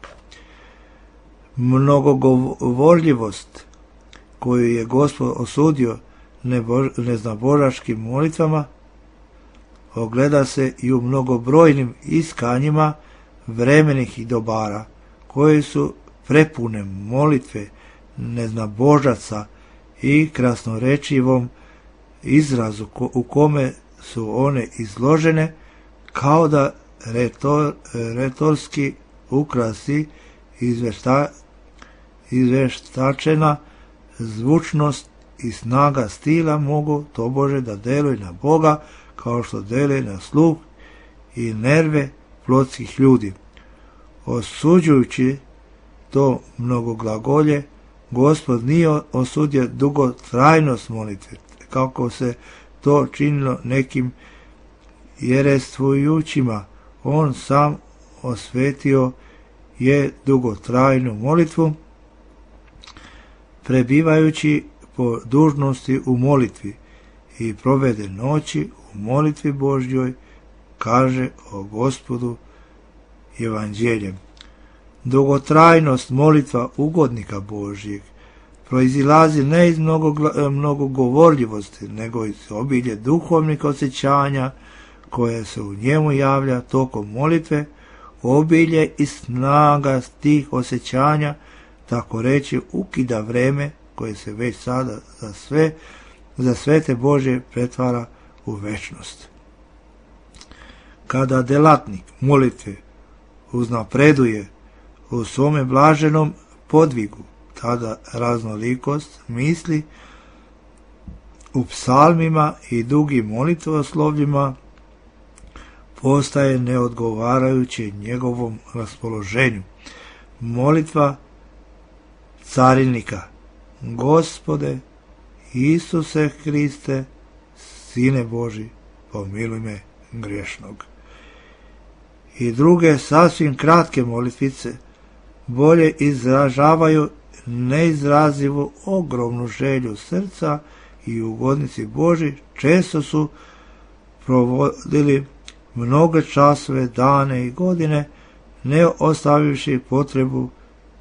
Mnogogovorljivost koju je Gospod osudio neznabožačkim molitvama ogleda se i u mnogobrojnim iskanjima vremenih i dobara, koje su prepune molitve neznabožaca i krasnorečivom izrazu u kome su one izložene kao da retor, retorski ukrasi izvešta, izveštačena zvučnost i snaga stila mogu tobože da deluju na Boga kao što deluje na sluh i nerve plotskih ljudi. Osuđujući to mnogoglagolje, Gospod nije osudio dugotrajnost molitve, kako se to činilo nekim jerestvujućima. On sam osvetio je dugotrajnu molitvu, prebivajući po dužnosti u molitvi i provede noći u molitvi Božjoj, kaže o Gospodu evanđeljem. Dugotrajnost molitva ugodnika Božjeg proizilazi ne iz mnogo, mnogo govorljivosti, nego iz obilje duhovnih osjećanja koje se u njemu javlja tokom molitve, obilje i snaga tih osjećanja, tako reći, ukida vreme koje se već sada za sve, za svete Božje pretvara u večnost. Kada delatnik molitve uznapreduje u svome blaženom podvigu, tada raznolikost misli u psalmima i dugim molitvoslovljima postaje neodgovarajuće njegovom raspoloženju. Molitva carinika: Gospode Isuse Hriste, Sine Boži, pomiluj me griješnog. I druge sasvim kratke molitvice bolje izražavaju neizrazivu ogromnu želju srca i ugodnici Boži često su provodili mnoge časove, dane i godine, ne ostavivši potrebu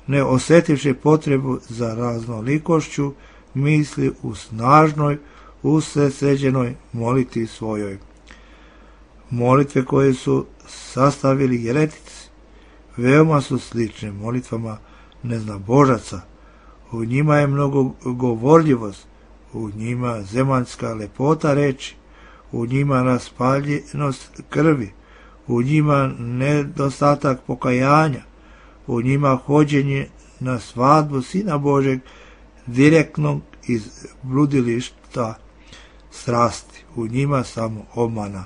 ne osjetivši potrebu za raznolikošću misli u snažnoj, usredsređenoj molitvi svojoj. Molitve koje su sastavili jeretici veoma su slične molitvama neznabožaca. U njima je mnogo govorljivost, u njima zemaljska lepota reči, u njima raspaljenost krvi, u njima nedostatak pokajanja, u njima hođenje na svadbu Sina Božeg direktnog iz bludilišta strasti, u njima samo obmana.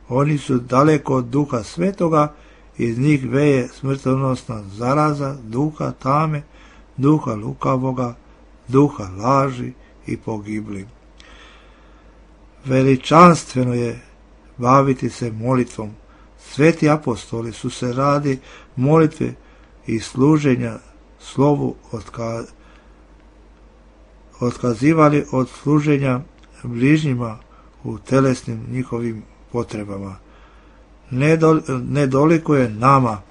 Oni su daleko od Duha Svetoga, iz njih veje smrtonosna zaraza, duha tame, duha lukavoga, duha laži i pogibli. Veličanstveno je baviti se molitvom. Sveti apostoli su se radi molitve i služenja slovu otka, otkazivali od služenja bližnjima u telesnim njihovim potrebama. Nedoliko je nama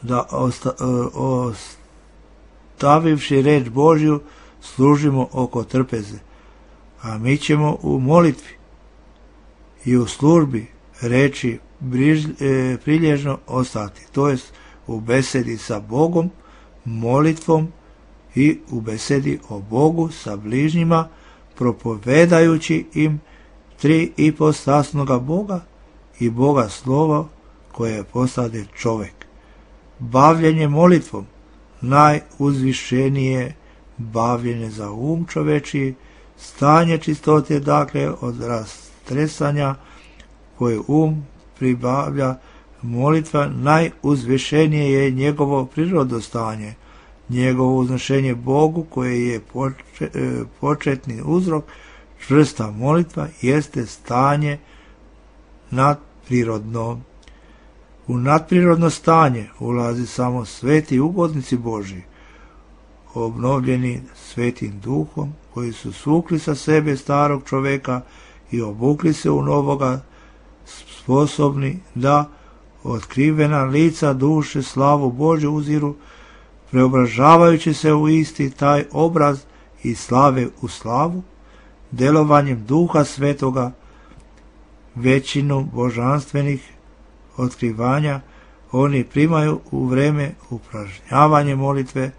da osta, ostavivši reč Božju služimo oko trpeze, a mi ćemo u molitvi i u službi reči briž, e, prilježno ostati, to jest u besedi sa Bogom, molitvom i u besedi o Bogu sa bližnjima, propovedajući im tri ipostasnoga Boga i Boga slova koje postade čovek. Bavljenje molitvom najuzvišenije bavljenje za um čovečiji, stanje čistote, dakle od rastresanja koje um pribavlja. Molitva najuzvišenije je njegovo prirodostanje, njegovo uznošenje Bogu koje je početni uzrok. Čvrsta molitva jeste stanje nadprirodno. U nadprirodno stanje ulazi samo sveti ugodnici Božji, obnovljeni svetim duhom, koji su svukli sa sebe starog čoveka i obukli se u novoga, sposobni da otkrivena lica duše slavu Božju uziru, preobražavajući se u isti taj obraz i slave u slavu, delovanjem Duha Svetoga, većinu božanstvenih otkrivanja oni primaju u vreme upražnjavanja molitve,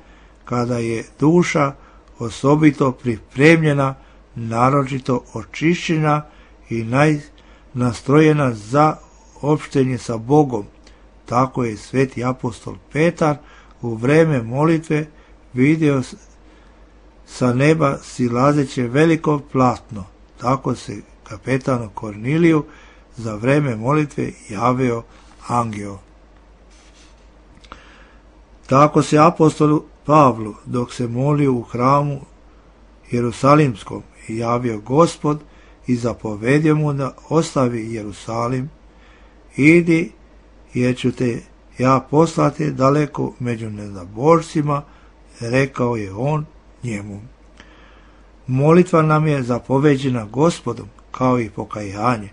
kada je duša osobito pripremljena, naročito očišćena i nastrojena za opštenje sa Bogom. Tako je sveti apostol Petar u vreme molitve vidio sa neba silazeće veliko platno. Tako se kapetanu Korniliju za vreme molitve javio angel. Tako se apostolu Pavlu, dok se molio u hramu Jerusalimskom, javio Gospod i zapovedio mu da ostavi Jerusalim. Idi, jer ću te ja poslati daleko među neznabožcima, rekao je on njemu. Molitva nam je zapoveđena Gospodom, kao i pokajanje.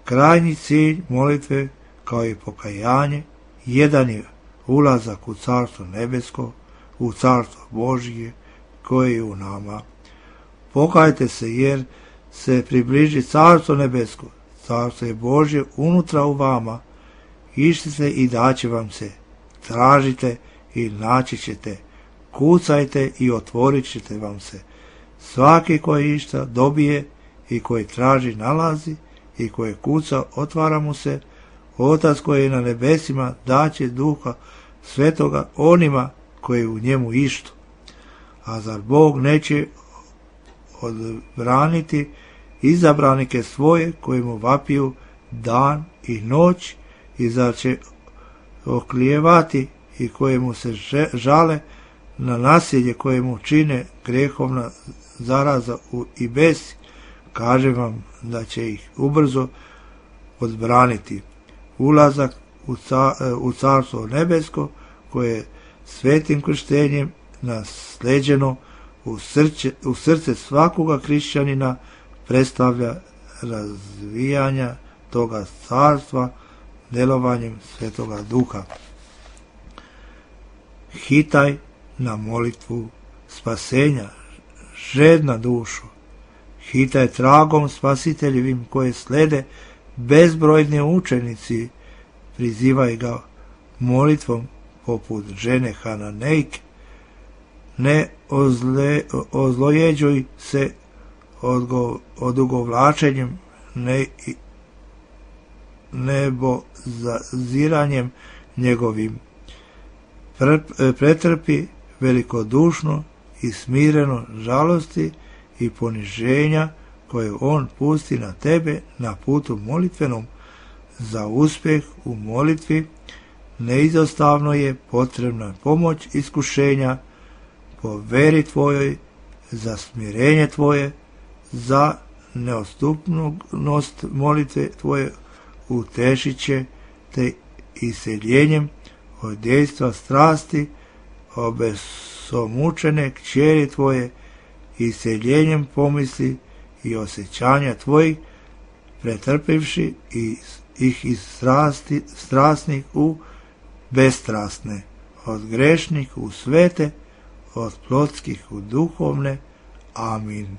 Krajnji cilj molitve, kao i pokajanje, jedan je ulazak u Carstvo nebesko, u Carstvo Božje, koje je u nama. Pokajte se, jer se približi Carstvo nebesko, Carstvo je Božje unutra u vama. Išćite i daće vam se, tražite i naći ćete, kucajte i otvorit ćete vam se. Svaki koji išta dobije i koji traži nalazi i koji kuca otvara mu se. Otac koji je na nebesima daće Duha Svetoga onima koji u njemu ištu. A zar Bog neće odbraniti izabranike svoje koji mu vapiju dan i noć, i zar će oklijevati i kojemu se žale na nasilje kojemu čine grehovna zaraza i besi? Kažem vam da će ih ubrzo odbraniti. Ulazak u, ca, u Carstvo nebesko, koje je svetim krštenjem nasleđeno u srce, u srce svakoga hrišćanina, predstavlja razvijanja toga carstva delovanjem Svetoga Duha. hitaj na molitvu spasenja, žedna dušo, hitaj tragom spasiteljevim koje slede bezbrojni učenici, prizivaj ga molitvom poput žene Hananejke, ne ozle, ozlojeđuj se odgo, odugovlačenjem, ne, nebo zaziranjem njegovim. Pretrpi velikodušno i smireno žalosti i poniženja koje on pusti na tebe na putu molitvenom. Za uspjeh u molitvi neizostavno je potrebna pomoć iskušenja po veri tvojoj, za smirenje tvoje, za neostupnost molitve tvoje utešit će te iseljenjem od dejstva strasti obesomučene kćeri tvoje, iseljenjem pomisli i osjećanja tvojih, pretrpivši ih iz strasti, strasnih u bestrasne, od grešnih u svete, od plotskih u duhovne. Amin.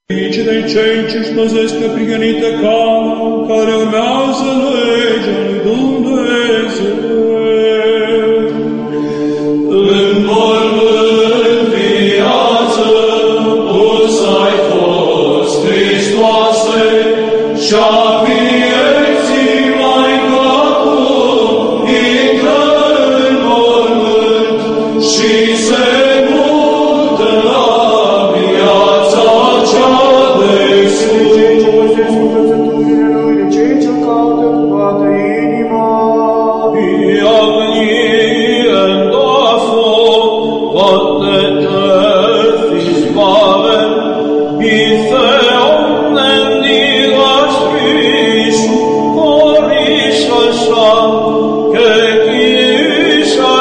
Aici dai cei ce spăzesc pe prigănită cală, care urmează legea lui Dumnezeu. În mormânt viață, pus ai fost, Hristoase, și-a vieții mai acum, intră în mormânt și se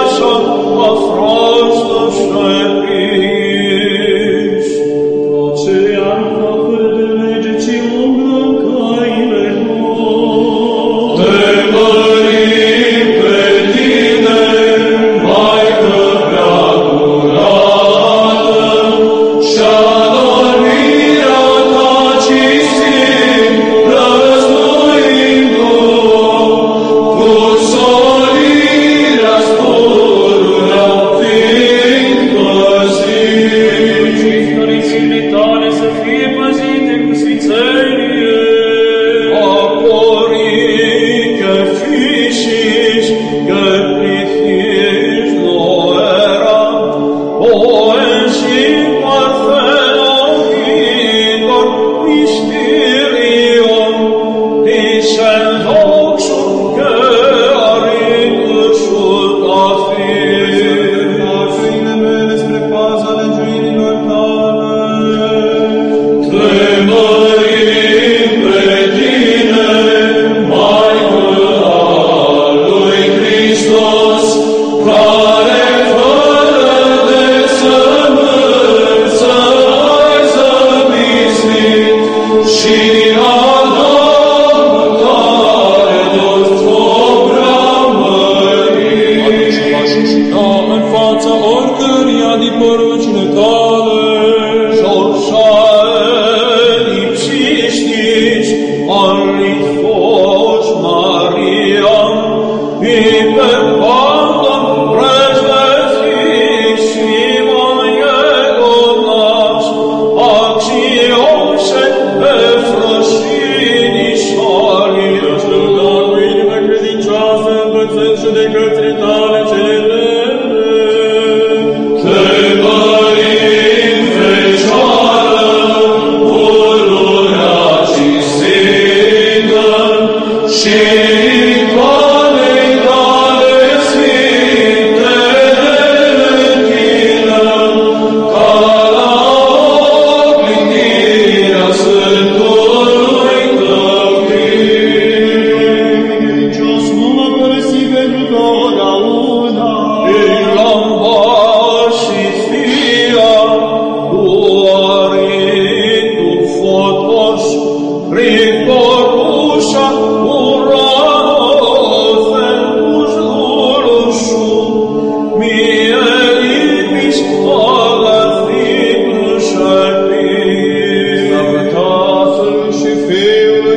Action,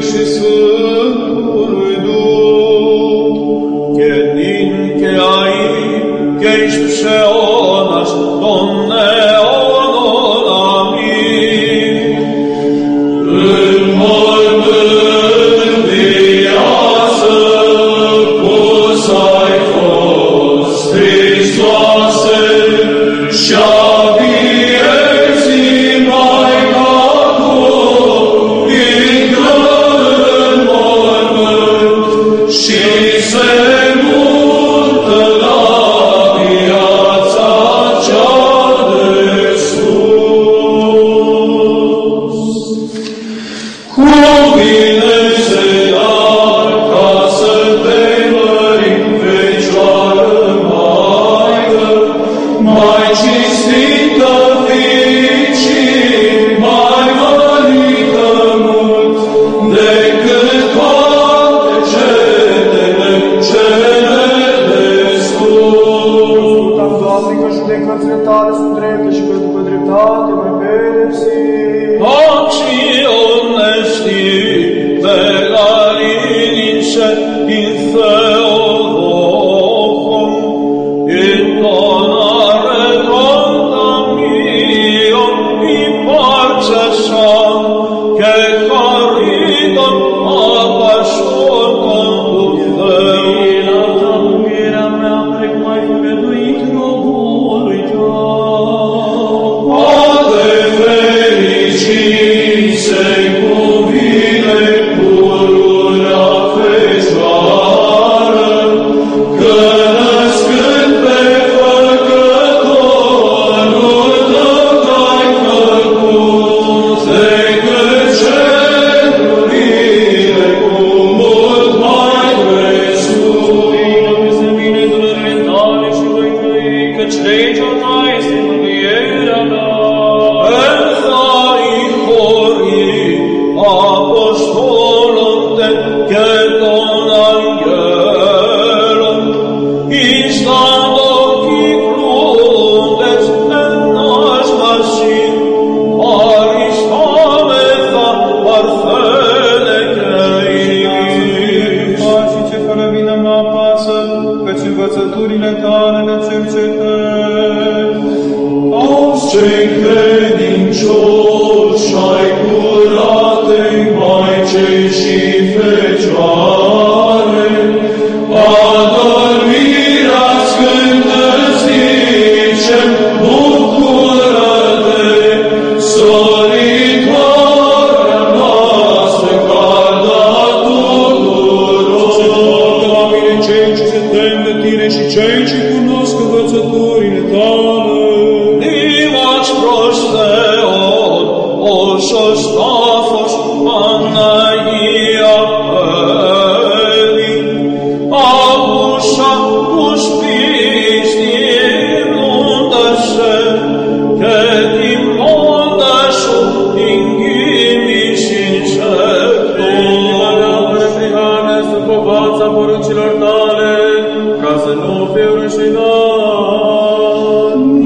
și Sfântului Duh, che din che ai, che ești pșeonaș, Domne, onor, amin. În mormânt viață, pus ai fost, Hristoase, și-a vieții Maica Tu, intră în mormânt și se mută la viața cea de sus. Cu bine se dar ca să te mărim, Fecioară Maică, mai cinstită fiind și mai mărită mult decât toate cetele cele de sus. Dar, Doamne, că judecățile Tale sunt drepte și că după dreptate mai pedepsi. Acțiunesti de la linice in Theolochum, in donare contam mio, in parcesam, che corridom apascion contum Deo. Mântuirea mea plec mai făgăduit robului Tău. Ade fericiți cuvine pururea Fecioară, că născând pe Făcătorul Tău te-ai făcut, decât cerurile cu mult mai presus. Peste mine durările Tale și voi trăi, căci legea Ta este mângâierea mea. Apostolum te ceton angelum, instando qui cludes en nas masin, Aristometha parfele creis. Și ce fără vină mă apasă, căci învățăturile Tale le cercetez. Toți cei credincioși și-ai curatei Maicei și Fecioare, adormirea sfântă zice, bucură-te, solitoarea noastră, carda tuturor. La mine cei ce se tem de Tine și cei ce cunosc învățăturile Tale. Dimax prosteon, osos tafos, Annaia Eli, Abusa cuspisti immundase, et immundasu ingimis insectum. Prihane sub povața poruncilor Tale, ca să nu fiu rușinat.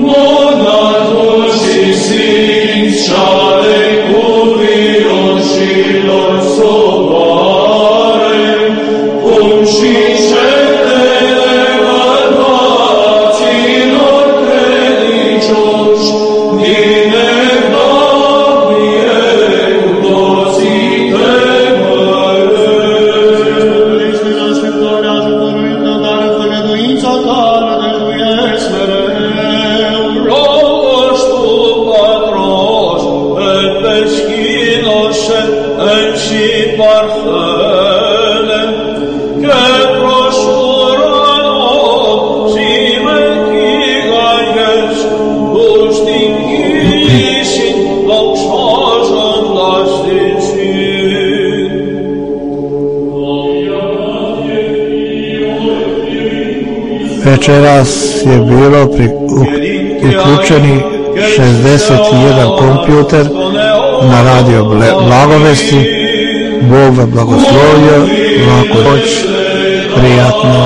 Monarhul și sfinți și-ale cuviroșilor soboare, cum și cetele bărbaților credincioși, din Evlavie cu toții te măresc. Ești în așteptare ajutorului Tău, dar în făgăduința Tale dăruiesc mereu. Logos tu patros, et peschinos et si parfele, che prosurano si mecigaes, gustingisi doxoson dasticin. Večeras je bilo pri, u, uključeni šezdeset jedan kompjuter na radio Blagovesti. Bog vam blagoslovio, laku noć, prijatno.